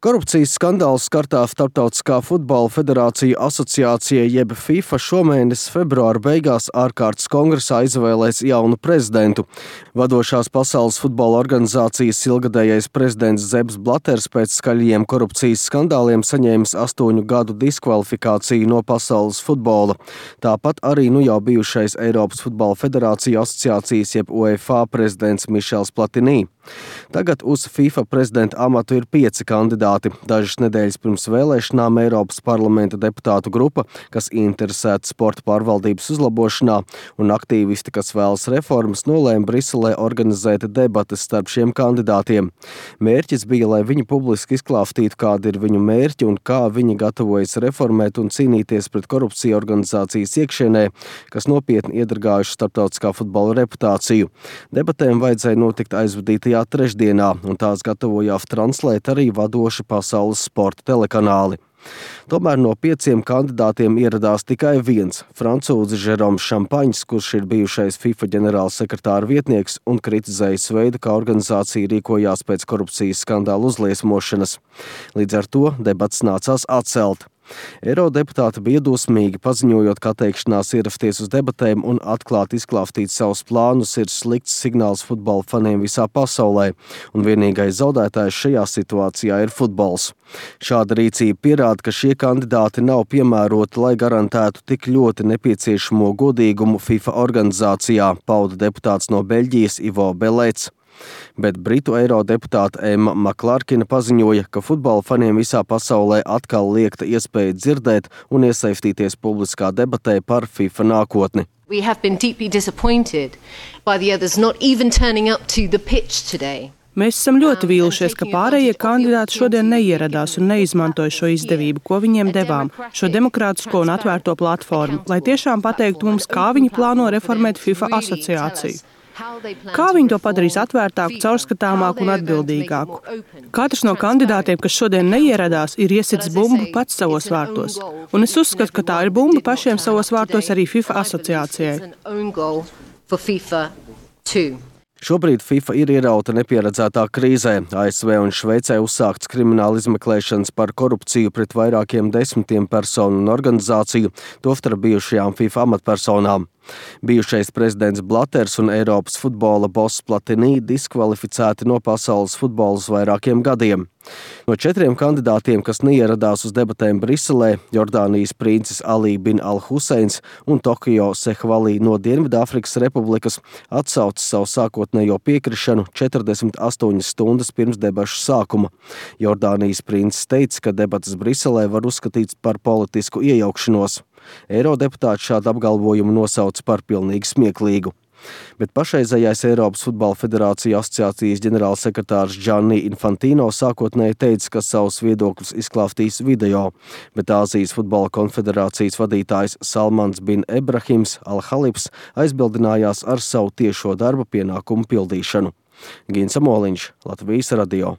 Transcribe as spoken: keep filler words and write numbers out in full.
Korupcijas skandāls skartā Starptautiskā futbola federācija asociācija jeb FIFA šomēnes februāra beigās ārkārtas kongresā izvēlēs jaunu prezidentu. Vadošās pasaules futbola organizācijas ilgadējais prezidents Zebs Blaters pēc skaļajiem korupcijas skandāliem saņēmis astoņu gadu diskvalifikāciju no pasaules futbola. Tāpat arī nu jau bijušais Eiropas futbola federācija asociācijas jeb UEFA prezidents Mišels Platinī. Tagad uz FIFA prezidenta amatu ir pieci kandidāti. Dažas nedēļas pirms vēlēšanām Eiropas parlamenta deputātu grupa, kas interesēta sporta pārvaldības uzlabošanā, un aktīvisti, kas vēlas reformas, nolēma Briselē organizēt debates starp šiem kandidātiem. Mērķis bija, lai viņi publiski izklāstītu, kādi ir viņu mērķi un kā viņi gatavojas reformēt un cīnīties pret korupciju organizācijas iekšienē, kas nopietni iedragājuši starptautiskā futbola reputāciju. Debatēm vajadzēja notikt aizvadītajā trešdienā, un tās gatavojās translēt arī vadoši pasaules sporta telekanāli. Tomēr no pieciem kandidātiem ieradās tikai viens – francūzis Žeroms Šampaņs, kurš ir bijušais FIFA ģenerālsekretāra vietnieks un kritizējis veidu, kā organizācija rīkojās pēc korupcijas skandāla uzliesmošanas. Līdz ar to debats nācās atcelt. Eirodeputāti bija dusmīgi, paziņojot, ka atteikšanās ierasties uz debatēm un atklāti izklāstīt savus plānus ir slikts signāls futbola faniem visā pasaulē, un vienīgais zaudētājs šajā situācijā ir futbols. Šāda rīcība pierāda, ka šie kandidāti nav piemēroti, lai garantētu tik ļoti nepieciešamo godīgumu FIFA organizācijā, pauda deputāts no Beļģijas Ivo Belets. Bet britu eirodeputāte Emma Maklārkina paziņoja, ka futbola faniem visā pasaulē atkal liekta iespēja dzirdēt un iesaistīties publiskā debatē par FIFA nākotni. We have been deeply disappointed by the others not even turning up to the pitch today. Mēs esam ļoti vīlušies, ka pārējie kandidāti šodien neieradās un neizmantoja šo izdevību, ko viņiem devām, šo demokrātisko un atvērto platformu, lai tiešām pateiktu mums, kā viņi plāno reformēt FIFA asociāciju. Kā viņi to padarīs atvērtāku, caurskatāmāku un atbildīgāku? Katrs no kandidātiem, kas šodien neieradās, ir iesitis bumbu pats savos vārtos. Un es uzskatu, ka tā ir bumba pašiem savos vārtos arī FIFA asociācijai. Šobrīd FIFA ir ierauta nepieredzētā krīzē. A S V un Šveicē uzsākts krimināla izmeklēšanas par korupciju pret vairākiem desmitiem personu un organizāciju, tostarp bijušajām FIFA amatpersonām. Bijušais prezidents Blaters un Eiropas futbola boss Platinī diskvalificēti no pasaules futbola uz vairākiem gadiem. No četriem kandidātiem, kas neieradās uz debatēm Briselē, Jordānijas princis Ali bin al-Huseins un Tokio Sehvalī no Dienvidāfrikas Republikas atsauca savu sākotnējo piekrišanu četrdesmit astoņas stundas pirms debašu sākuma. Jordānijas princis teica, ka debatas Briselē var uzskatīts par politisku iejaukšanos. Eirodeputāti šādu apgalvojumu nosauca par pilnīgi smieklīgu. Bet pašreizējais Eiropas futbola federācija asociācijas ģenerālsekretārs Gianni Infantino sākotnēji teica, ka savus viedokļus izklāstīs video, bet Āzijas futbola konfederācijas vadītājs Salmans bin Ebrahims Al-Halibs aizbildinājās ar savu tiešo darba pienākumu pildīšanu. Gins Amoliņš, Latvijas radio.